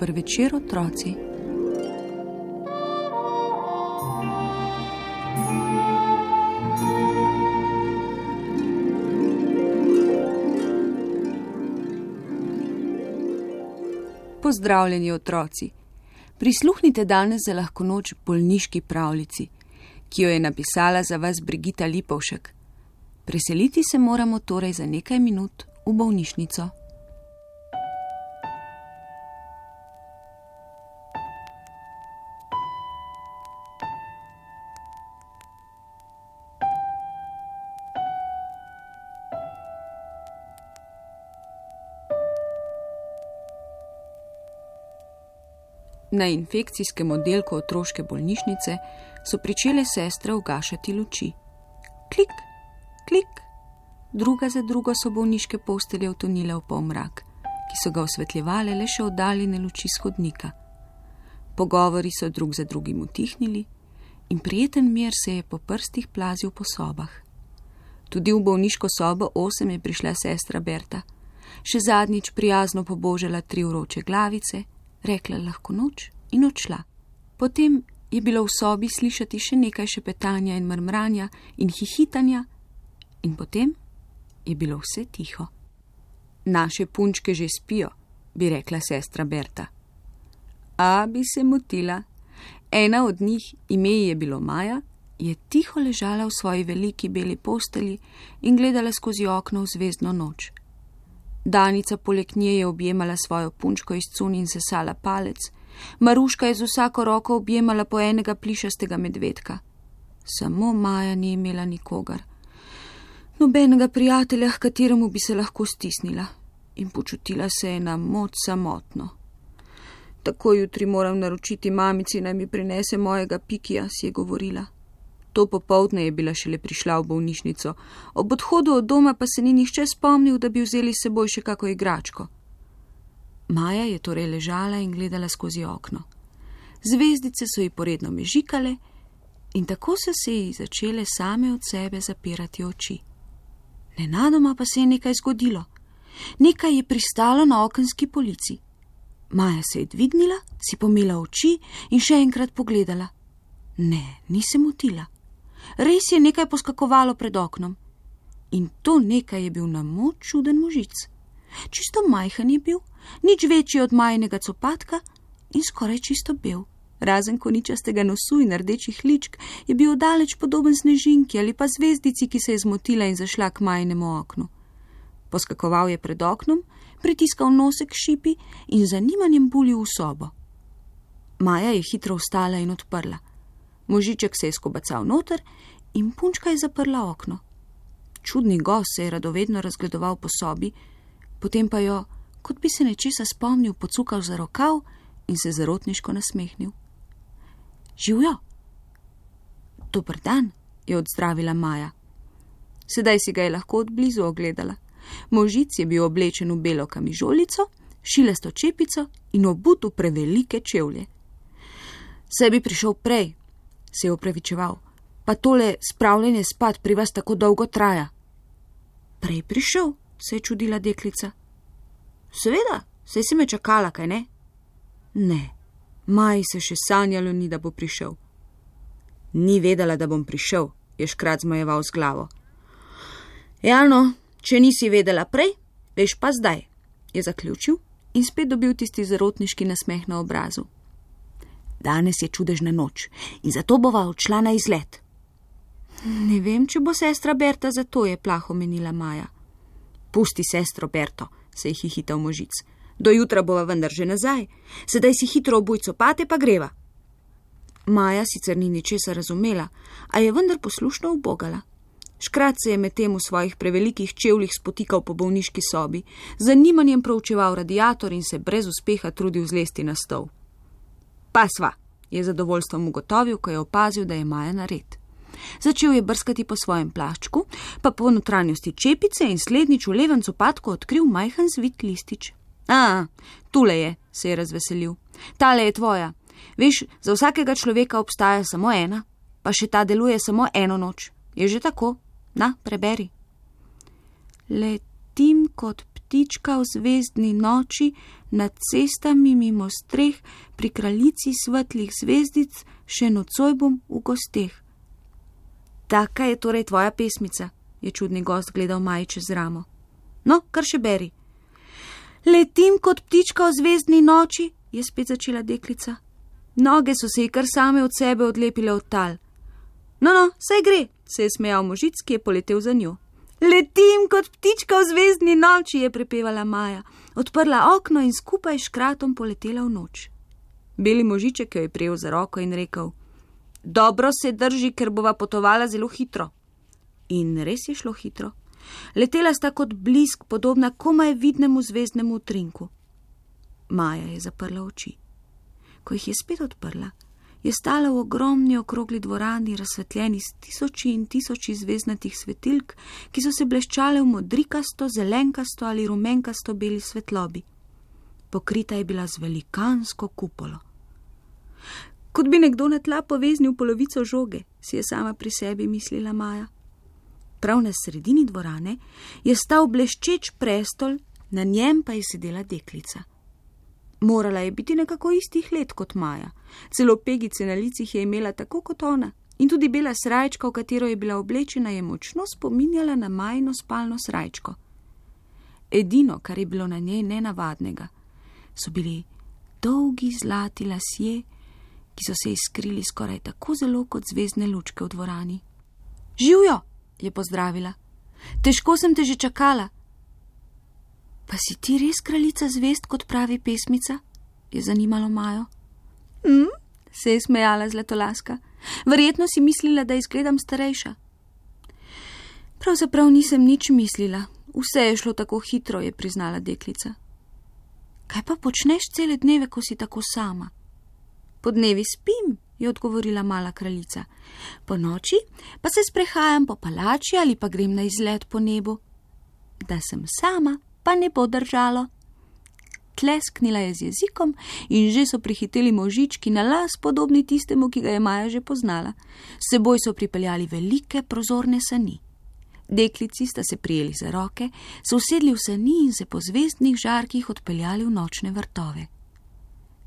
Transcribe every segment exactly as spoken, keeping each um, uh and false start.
Dober večer, otroci. Pozdravljeni, otroci. Prisluhnite danes za lahko noč bolniški pravljici, ki jo je napisala za vas Brigita Lipovšek. Preseliti se moramo torej za nekaj minut v bolnišnico. Na infekcijskem oddelku otroške bolnišnice so pričele sestre ugašati luči. Klik, klik. Druga za drugo so bolniške postelje utonile v polmrak, ki so ga osvetljevale le še oddaljene luči s hodnika. Pogovori so drug za drugim utihnili in prijeten mir se je po prstih plazil po sobah. Tudi v bolniško sobo osem je prišla sestra Berta. Še zadnjič prijazno pobožala tri vroče glavice, rekla lahko noč in odšla. Potem je bilo v sobi slišati še nekaj šepetanja in mrmranja in hihitanja in potem je bilo vse tiho. Naše punčke že spijo, bi rekla sestra Berta. A bi se motila. Ena od njih, ime je bilo Maja, je tiho ležala v svoji veliki beli posteli in gledala skozi okno v zvezdno noč. Danica poleg nje je objemala svojo punčko iz cun in sesala palec, Maruška je z vsako roko objemala po enega plišastega medvedka. Samo Maja ni imela nikogar. Nobenega prijatelja, h kateremu bi se lahko stisnila, in počutila se je na moč samotno. Tako jutri moram naročiti mamici, naj mi prinese mojega Pikija, si je govorila. To popoldne je bila šele prišla v bolnišnico, ob odhodu od doma pa se ni nihče spomnil, da bi vzeli s seboj še kako igračko. Maja je torej ležala in gledala skozi okno. Zvezdice so ji poredno mežikale in tako so se ji začele same od sebe zapirati oči. Nenadoma pa se je nekaj zgodilo. Nekaj je pristalo na okenski polici. Maja se je dvignila, si pomila oči in še enkrat pogledala. Ne, ni se motila. Res je nekaj poskakovalo pred oknom. In to nekaj je bil na moč čuden možic. Čisto majhen je bil, nič večji od majnega copatka in skoraj čisto bel. Razen koničastega nosu in rdečih ličk je bil daleč podoben snežinki ali pa zvezdici, ki se je zmotila in zašla k majnemu oknu. Poskakoval je pred oknom, pritiskal nosek šipi in z zanimanjem bulil v sobo. Maja je hitro vstala in odprla. Možiček se je skobacal noter in punčka je zaprla okno. Čudni gost se je radovedno razgledoval po sobi, potem pa jo, kot bi se nečesa spomnil, pocukal za rokav in se zarotniško nasmehnil. Živjo! Dober dan, je odzdravila Maja. Sedaj si ga je lahko od blizu ogledala. Možic je bil oblečen v belo kamižolico, šilesto čepico in obut v prevelike čevlje. Saj bi prišel prej, se je opravičeval, pa tole spravljanje spat pri vas tako dolgo traja. Prej prišel, se je čudila deklica. Seveda, saj si me čakala, kaj ne? Ne, Maji se še sanjalo ni, da bo prišel. Ni vedela, da bom prišel, je škrat zmajeval z glavo. Ja no, če nisi vedela prej, veš pa zdaj, je zaključil in spet dobil tisti zarotniški nasmeh na obrazu. Danes je čudežna noč in zato bova odšla na izlet. Ne vem, če bo sestra Berta, zato je plaho menila Maja. Pusti sestro Berto, se je hihital možic. Do jutra bova vendar že nazaj, sedaj si hitro obuj copate pa greva. Maja sicer ni ničesa razumela, a je vendar poslušno ubogala. Škrat se je medtem v svojih prevelikih čevljih spotikal po bolniški sobi, z zanimanjem proučeval radiator in se brez uspeha trudil zlesti na stol. Pa sva, je zadovoljstvom ugotovil, ko je opazil, da je Maja nared. Začel je brskati po svojem plaščku, pa po notranjosti čepice in slednjič v levem copatku odkril majhen zvit listič. A, tule je, se je razveselil. Tale je tvoja. Veš, za vsakega človeka obstaja samo ena, pa še ta deluje samo eno noč. Je že tako? Na, preberi. Letim kot ptička v zvezdni noči nad cestami mimo streh, pri kraljici svetlih zvezdic, še nocoj bom v gosteh. Taka je torej tvoja pesmica, je čudni gost gledal Maji čez ramo. No, kar še beri. Letim kot ptička v zvezdni noči, je spet začela deklica. Noge so se ji kar same od sebe odlepile od tal. No, no, saj gre, se je smejal možic, ki je poletel za njo. Letim kot ptička v zvezdni noči, je prepevala Maja, odprla okno in skupaj s škratom poletela v noč. Beli možiček jo je prijel za roko in rekel: Dobro se drži, ker bova potovala zelo hitro. In res je šlo hitro. Letela sta kot blisk, podobna komaj vidnemu zvezdnemu utrinku. Maja je zaprla oči. Ko jih je spet odprla, je stala v ogromni okrogli dvorani, razsvetljeni s tisoči in tisoči zvezdnatih svetilk, ki so se bleščale v modrikasto, zelenkasto ali rumenkasto beli svetlobi. Pokrita je bila z velikansko kupolo. Kot bi nekdo na tla poveznil polovico žoge, si je sama pri sebi mislila Maja. Prav na sredini dvorane je stal bleščeč prestol, na njem pa je sedela deklica. Morala je biti nekako istih let kot Maja. Celo pegice na licih je imela tako kot ona in tudi bela srajčka, v katero je bila oblečena, je močno spominjala na Majino spalno srajčko. Edino, kar je bilo na njej nenavadnega, so bili dolgi zlati lasje, ki so se iskrili skoraj tako zelo kot zvezdne lučke v dvorani. Živjo, je pozdravila. Težko sem te že čakala. Pa si ti res kraljica zvezd, kot pravi pesmica? Je zanimalo Majo. Hm, se je smejala Zlatolaska. Verjetno si mislila, da izgledam starejša. Pravzaprav nisem nič mislila. Vse je šlo tako hitro, je priznala deklica. Kaj pa počneš cele dneve, ko si tako sama? Po dnevi spim, je odgovorila mala kraljica. Po noči pa se sprehajam po palači ali pa grem na izlet po nebu. Da sem sama, pa ne bo držalo. Tlesknila je z jezikom in že so prihiteli možički na las, podobni tistemu, ki ga je Maja že poznala. S seboj so pripeljali velike prozorne sani. Deklici sta se prijeli za roke, se usedli v sani in se po zvezdnih žarkih odpeljali v nočne vrtove.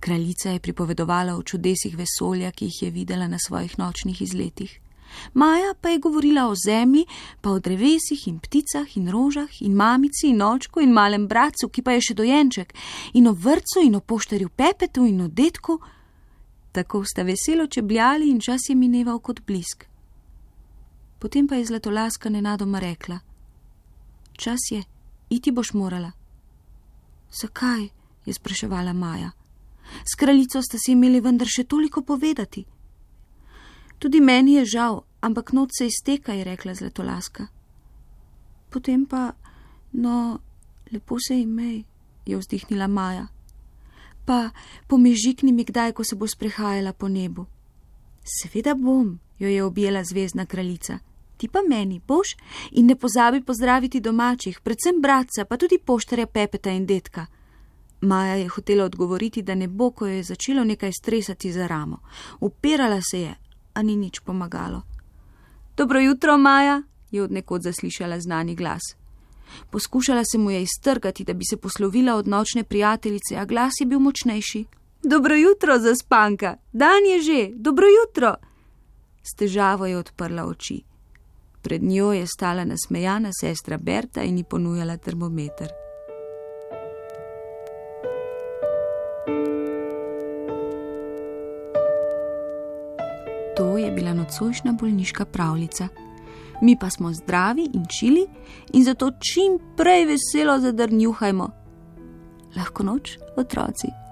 Kraljica je pripovedovala o čudesih vesolja, ki jih je videla na svojih nočnih izletih. Maja pa je govorila o zemlji, pa o drevesih in pticah in rožah in mamici in očku in malem bratcu, ki pa je še dojenček, in o vrtcu in o poštarju Pepetu in o detku. Tako sta veselo čebljali in čas je mineval kot blisk. Potem pa je Zlatolaska nenadoma rekla: Čas je, iti boš morala. Zakaj? Je spraševala Maja. S kraljico sta si imeli vendar še toliko povedati. Tudi meni je žal, ampak noč se izteka, je rekla Zlatolaska. Potem pa, no, lepo se imej, je vzdihnila Maja. Pa pomežikni mi kdaj, ko se bo sprehajala po nebu. Seveda bom, jo je objela zvezdna kraljica. Ti pa meni boš in ne pozabi pozdraviti domačih, predvsem bratca, pa tudi poštarja Pepeta in detka. Maja je hotela odgovoriti, da ne bo, ko jo je začelo nekaj stresati za ramo. Upirala se je, a ni nič pomagalo. Dobro jutro, Maja, je od nekod zaslišala znani glas. Poskušala se mu je iztrgati, da bi se poslovila od nočne prijateljice, a glas je bil močnejši. Dobro jutro, zaspanka, dan je že, dobro jutro. S težavo je odprla oči. Pred njo je stala nasmejana sestra Berta in ji ponujala termometer. To je bila nocojšnja bolniška pravljica. Mi pa smo zdravi in čili in zato čim prej veselo zadrnjuhajmo. Lahko noč, otroci.